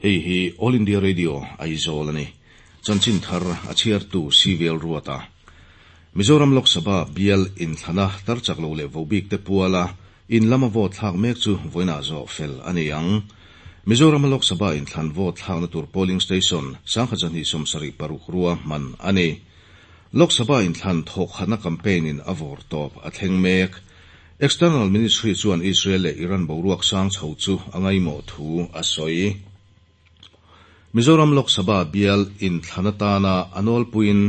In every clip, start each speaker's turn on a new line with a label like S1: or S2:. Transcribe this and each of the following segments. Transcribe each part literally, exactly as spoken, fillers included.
S1: Hei hi All India Radio Aizawl a ni. Chanchin thar a chhiartu Civil Ruata. Mizoram Lok Sabha bial inthlana tar chak lo leh vohbik te puala in lama vote thlak mek chu vawiinah zawh fel a ni ang. Mizoram Lok Sabha inthlan vote thlakna tur polling station sangkhat zahnih sawmsarih paruk rua hman a ni. Lok Sabha inthlan thawk khatna campaign in a vawr tawp a thleng mek. External Ministry chuan Israel leh Iran boruak sang chho chu a ngaimawh thu a sawi. Mizoram Lok Sabha bial inthlan atana a nawlpuiin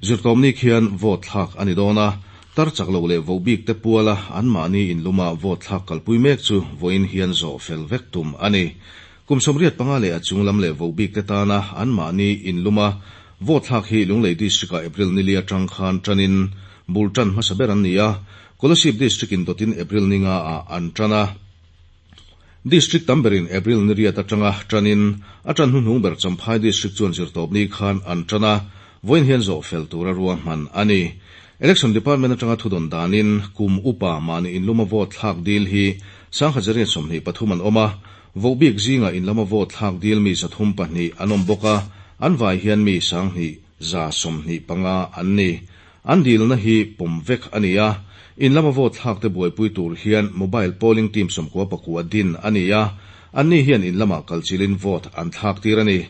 S1: zirtawmni khian vote thlak a ni dawn a, tar chak lo leh vohbik te puala anmahni inluma vote thlak kalpui mek chu vawiin hian zawh fel vek tum a ni. Kum sawmriat panga leh a chunglam leh vohbik te tana anmahni inluma vote thlak hi Lunglei District-ah April ni li atang khan tanin bul tan hmasa ber an ni a, Kolasib District in dawtin April ni nga ah an tan a. District tam berin April ni riat atanga tanin a tan hnuhnung ber Champhai District chuan zirtawpni khan an tan a, vawiin hian zawh fel tura rua hman a ni. Election Department atanga thudawn danin kum upa mahni inluma vote thlak dil hi sangkhat zariat sawmhnih pathum an awm a, vohbik zinga inlama vote thlak dil mi zathum pahnih an awm bawk a, an vai hian mi sanghnih za sawmhnih panga an ni. An dilna hi pawm vek a ni a, inlama vote thlak te buaipui tur hian mobile polling team sawmkua pakua din a ni a, anni hian inlama kalchilin vote an thlak tir a ni.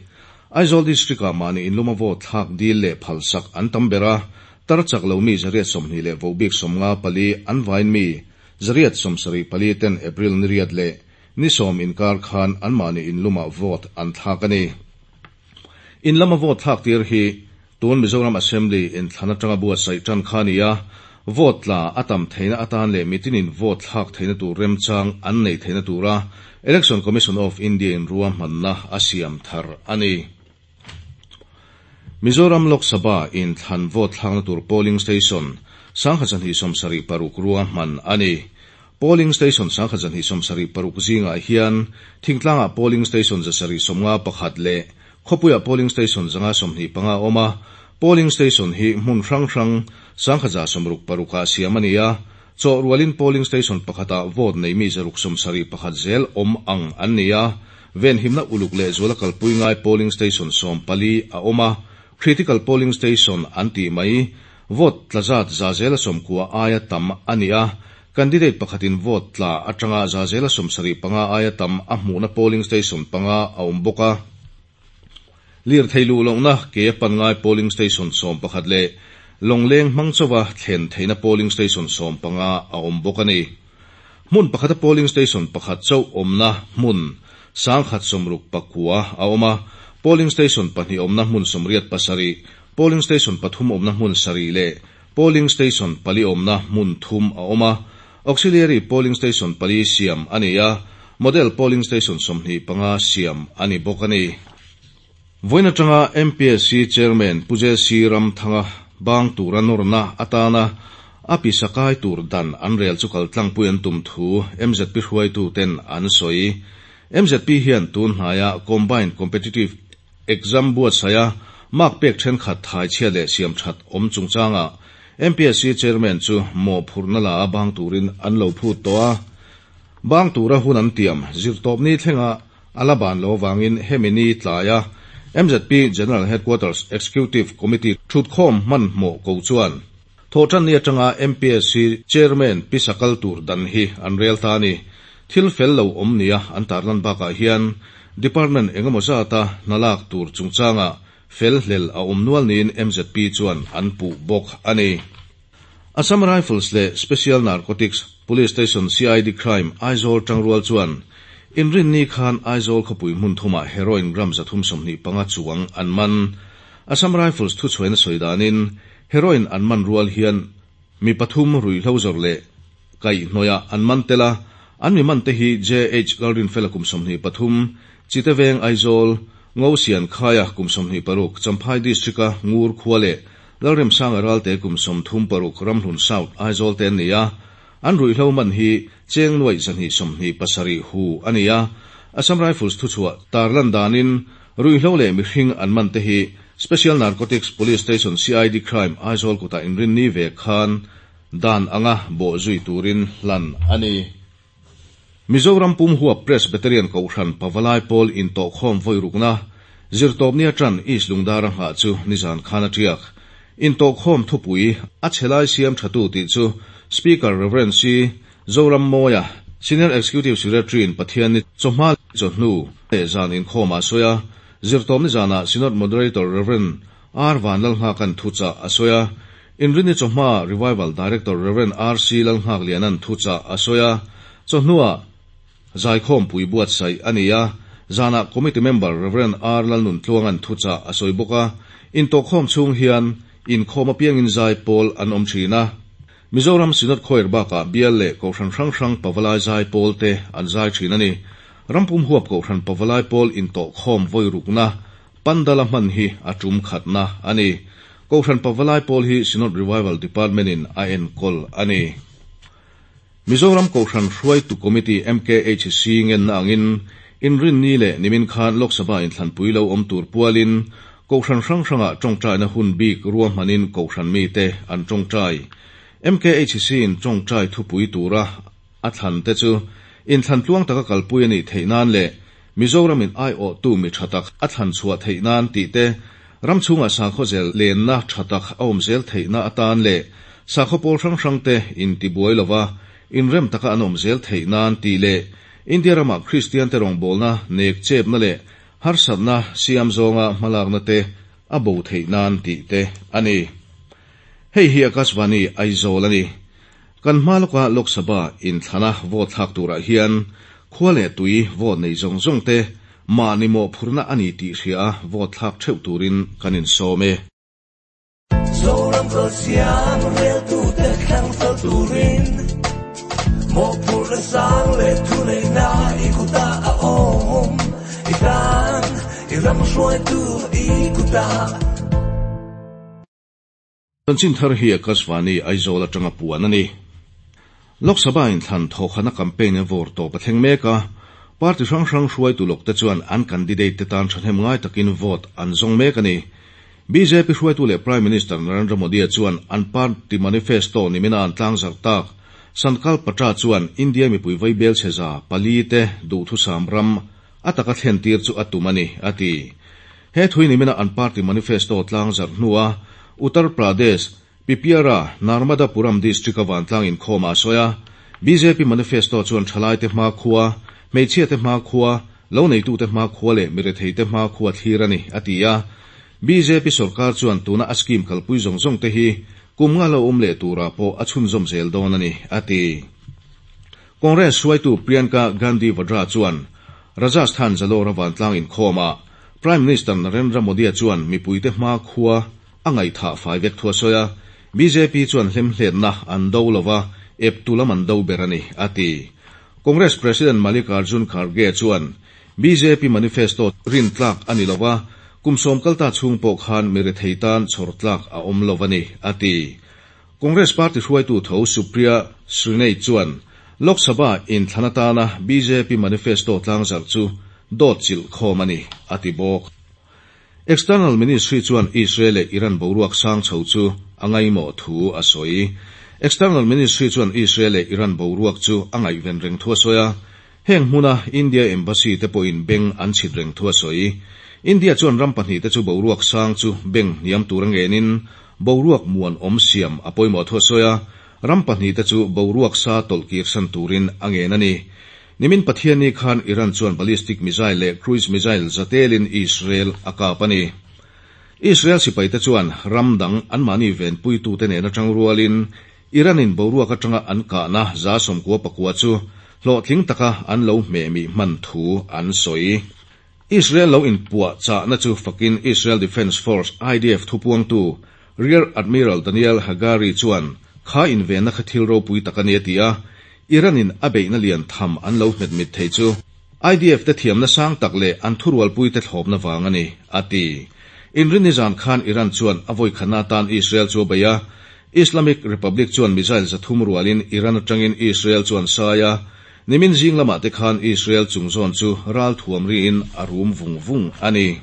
S1: Aizawl District-ah mahni inluma vote thlak dil leh phalsak an tam ber a, tar chak lo mi zariat sawmhnih leh vohbik sawmnga pali an vain mi zariat sawmsarih pali ten April ni riat leh ni sawm inkar khan anmahni inluma vote an thlak a ni. Inlama vote thlak tir hi tun Mizoram Assembly inthlan atanga buatsaih tan kha a ni a, vote tla a tam theihna atan leh mitinin vote thlak theihna tur remchang an nei theihna tura Election Commission of India in rua hmanna a siam thar a ni. Mizoram Lok Sabha inthlan vote thlakna tur polling station sangkhat zahnih sawmsarih paruk rua hman a ni. Polling station sangkhat zahnih sawmsarih paruk zingah hian thingtlangah polling station zasarih sawmnga pakhat leh khawpuiah polling station zanga sawmhnih panga a awm a, polling station hi hmun hrang hrang sangkhat za sawmruk parukah siam a ni a, chawh rualin polling station pakhatah vote nei mi zaruk sawmsarih pakhat zel awm ang an ni a, venhimna uluk leh zuala kalpui ngai polling station sawm pali a awm a, critical polling station an tih mai vote tla zat za zela sawmkua aia tam a ni a, candidate pakhatin vote tla atanga za zela sawmsarih panga aia tam a hmuhna polling station panga a awm bawk a. Lir thei luh lohna ke pan ngai polling station sawm pakhat leh lawngleng hmang chawa thlen theihna polling station sawm panga a awm bawk a ni. Hmun pakhata polling station pakhat chauh awmna hmun sangkhat sawmruk pakua a awm a, polling station pahnih awmna hmun sawmriat pasarih, polling station pathum awmna hmun sarih leh polling station pali awmna hmun thum a awm a, auxiliary polling station pali siam a ni a, model polling station sawmhnih panga siam a ni bawk a ni. Vawiin atanga M P S C Chairman Pu J C Ramthanga bang tura nawrna atana a pisakai tur dan an rel chu kaltlangpui an tum thu M Z P hruaitu ten an sawi. M Z P hian tun hnaia Combined Competitive Exam buatsaia mark pek thenkhat thai chhia leh siam that awm chungchanga M P S C Chairman chu mawhphurhna la a bang turin an lo phut tawh a. Bang tura hun an tiam zirtawpni thlenga ala ban lo wangin hemi ni tlaia M Z P General Headquarters Executive Committee thutkhawm hmanhmawh ko chuan thawhtan ni atanga M P S C Chairman pisakal tur dan hi an rel ta ni. Thil fel lo awm nia an tarlan bakah hian department engemaw zata hnalak tur chungchanga fel hlel a awm nual niin M Z P chuan an puh bawk a ni. Assam Rifles leh Special Narcotics Police Station C I D Crime Aizawl tangrual chuan inrin ni khan Aizawl khawpui hmun thumah heroin gram zathum sawmhnih panga chuang an man. Assam Rifles thu chhuaina sawi danin heroin an man rual hian mi pathum ruihhlo zawrh leh kaihhnawih an man tel a, an mi man te hi J H Lalrinfela kum sawmhnih pathum Chiteveng Aizawl, Ngo Sian Khaia kum sawmhnih paruk Champhai District-a Ngur khua leh Lalremsanga Ralte kum sawmthum paruk Ramhlun South Aizawl te an ni a. An ruihhlo man hi cheng nuai zahnih sawmhnih pasarih hu a ni a. Assam Rifles thu chhuah tarlan danin ruihhlo leh mihring an man te hi Special Narcotics Police Station C I D Crime Aizawl kutah inrin ni ve khan dan anga bawh zui turin hlan a ni. Mizoram pum huap Presbyterian Kohhran Pavalai Pawl intawhkhawm vawi rukna, Zirtawpni atang East Lungdara nghah chu nizan khan a tiak. Intawhkhawm thupui a chhelai siam thatu tih chu Speaker Rev. C. Zorammawia, Senior Executive Secretary in Pathianni chawhma chawhnu leh zan inkhawm a sawi a, Zirtawpni zanah Synod Moderator Rev. R. Vanlalnghakan thuchah a sawi a, Inrinni chawhma Revival Director Rev. R. C. Lalnghaklianan thuchah a sawi a, chawhnuah zaikhawm pui buatsaih a ni a, zanah Committee Member Rev. R. Lalnuntluangan thuchah a sawi bawk a, intawhkhawm chhung hian inkhawm apiangin zai pawl an awm thin a. Mizoram Synod Choir bakah bial leh Kohhran hrang hrang Pavalai zai pawl te an zai thin a ni. Rampum huap Kohhran Pavalai pawl intawhkhawm vawi rukna Pandala hman hi a tum khatna a ni. Kohhran Pavalai pawl hi Synod Revival Department in a enkawl a ni. Mizoram Kohhran Hruaitu Committee M K H C ngenna angin inrinni leh nimin khan Lok Sabha inthlanpui lo awm tur pualin Kohhran hrang hrangah tawngtaina hun bik ruahmanin Kohhran mite an tawngtai. M K H C in tawngtai thupui tura a thlan te chu inthlan tluang taka kalpui a nih theih nan leh Mizoram in ai awh tu mi tha tak a thlan chhuah theih nan tih te, ram chhungah sakhaw zel lenna tha tak a awm zel theihna atan leh sakhaw pawl hrang hrang te intibuai lova inrem taka an awm zel theih nan tih leh India ramah Kristian te rawngbawlna nek chepna leh harsatna siam zawnga hmalakna te a bo theih nan tih te a ni. Hei hi Akashvani Aizawl a ni. Kan hma lawka Lok Sabha inthlana vote thlak turah hian khua leh tui vote nei zawng zawng te mahni mawhphurhna a ni tih hria a vote thlak theuh turin kan insawm e.
S2: Zoram ko siam rel tu te thlang fel turin mawhphurhna sang leh thu nei na i kuta a awm i tan i ram hruai tu i kuta.
S1: Chanchin thar hi Akashvani Aizawl atanga puan a ni. Lok Sabha inthlan thawkhana campaign a vawr tawp a thleng mek a, party hrang hrang hruaitu lawk te chuan an candidate te tan thahnem ngai takin vote an zawng mek a ni. B J P hruaitu leh Prime Minister Narendra Modi chuan an party manifesto nimina an tlangzar tak Sankalp Patra chuan India mipui vaibel chheza pali te duhthusam ram ataka thlen tir chu a tum a ni a ti. He thui nimina an party manifesto tlangzar hnua Uttar Pradesh Pipiara Narmadapuram district a vantlang inkhawm a sawi a, B J P manifesto chuan thalai te hma khua, hmeichhia te hma khua, lo neitu te hma khua leh mirethei te hma khua thlir a ni a ti a. B J P sarkar chuan tuna a scheme kalpui zawng zawng te hi kum nga lo awm leh tura pawh a chhunzawm zel dawn a ni a ti. Congress hruaitu Priyanka Gandhi Vadra chuan Rajasthan Jalore a vantlang inkhawm a, Prime Minister Narendra Modi chuan mipui te hma khua a ngaihthah fai vek thu a sawi a, B J P chuan hlemhletna an do lova ep tulam an do ber a ni a ti. Congress President Mallikarjun Kharge chuan B J P manifesto rin tlak a ni lova, kum sawm kalta chhung pawh khan mirethei tan chhawr tlak a awm lo a ni a ti. Congress Party hruaitu tho Supriya Shrinate chuan Lok Sabha inthlan atana B J P manifesto tlangzar chu dawt chilh khawm a ni a ti bawk. External Ministry chuan Israel leh Iran boruak sang chho chu a ngaimawh thu a sawi. External Ministry chuan Israel leh Iran boruak chu a ngaihven reng thu a sawi a, heng hmuna India Embassy te pawhin beng an chhit reng thu a sawi. India chuan ram pahnih te chu boruak sang chu beng hniam tur a ngenin boruak muan awm siam a pawimawh thu a sawi a, ram pahnih te chu boruak sa tawlhkir san turin a ngen a ni. Nimin Pathianni khan Iran chuan ballistic missile leh cruise missile zatelin Israel a kap a ni. Israel sipai te chuan ram dang anmahni venpui te nena tang rualin Iranin boruak atanga an kahna za sawmkua pakua chu hlawhtling taka an lo hmehmi hman thu an sawi. Israel lo inpuah chahna chu fakin Israel Defence Force I D F thupuangtu Rear Admiral Daniel Hagari chuan kha invenna kha thil ropui tak a ni a ti a, Iranin a beihna lian tham an lo hmet mit thei chu I D F te thiamna sang tak leh an thurualpui te thlawpna vang a ni a ti. Inrinni zan khan Iran chuan a vawi khana tan Israel chu a bei a, Islamic Republic chuan missile zathum rualin Iran atangin Israel chuan sai a, nimin zing lamah te khan Israel chungzawn chu ral thuam riin a rum vung vung a ni.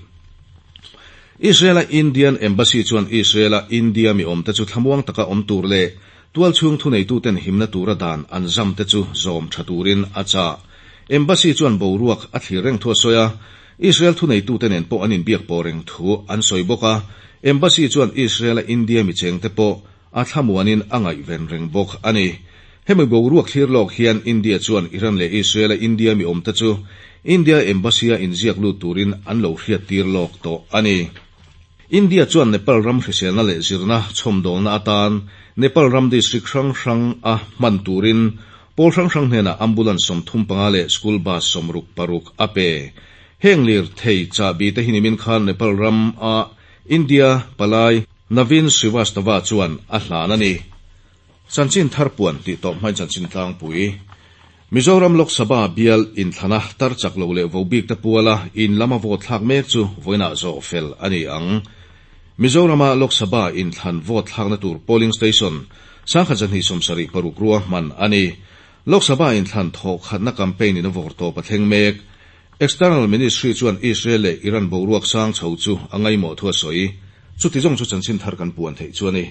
S1: Israel a Indian Embassy chuan Israel a India mi awm te chu thlamuang taka awm tur leh tual chhung thu neitu ten himna tura dan an zam te chu zawm tha turin a chah. Embassy chuan boruak a thlir reng thu a sawi a, Israel thuneitute nen pawh an inbiak pawh reng thu an sawi bawk a. Embassy chuan Israel-a India mi chengte pawh a thlamuanin a ngaihven reng bawk a ni. Hemi boruak thlir lawk hian India chuan Iran leh Israel-a India mi awmte chu India Embassy-a inziak lut turin an lo hriattir lawk tawh a ni. India chuan Nepal ram hriselna leh zirna chhawmdawlna atan Nepal ram district hrang hrang a hman turin pawl hrang hrang hnenah ambulance sawmthum panga leh school bus sawmruk paruk a pe. Heng lirthei chahbi te hi nimin khan Nepal ram a India palai Naveen Srivastava chuan a hlan a ni. Chanchin thar puan tih tawp hmain chanchin tlangpui. Mizoram Lok Sabha bial inthlana tar chak lo leh vobik te puala in lama vote thlak mek chu vawiinah zawh fel a ni ang. Mizorama Lok Sabha inthlan vote thlakna tur polling station sangkhat zahnih sawmsarih paruk ruahman a ni. Lok Sabha inthlan thawh khatna campaign in a vawr tawp a thleng mek. External Ministry chuan Israel leh Iran boruak sang chho chu a ngaimawh thu a sawi. Chuti zawng chu chanchin thar kan puan theih chu a ni.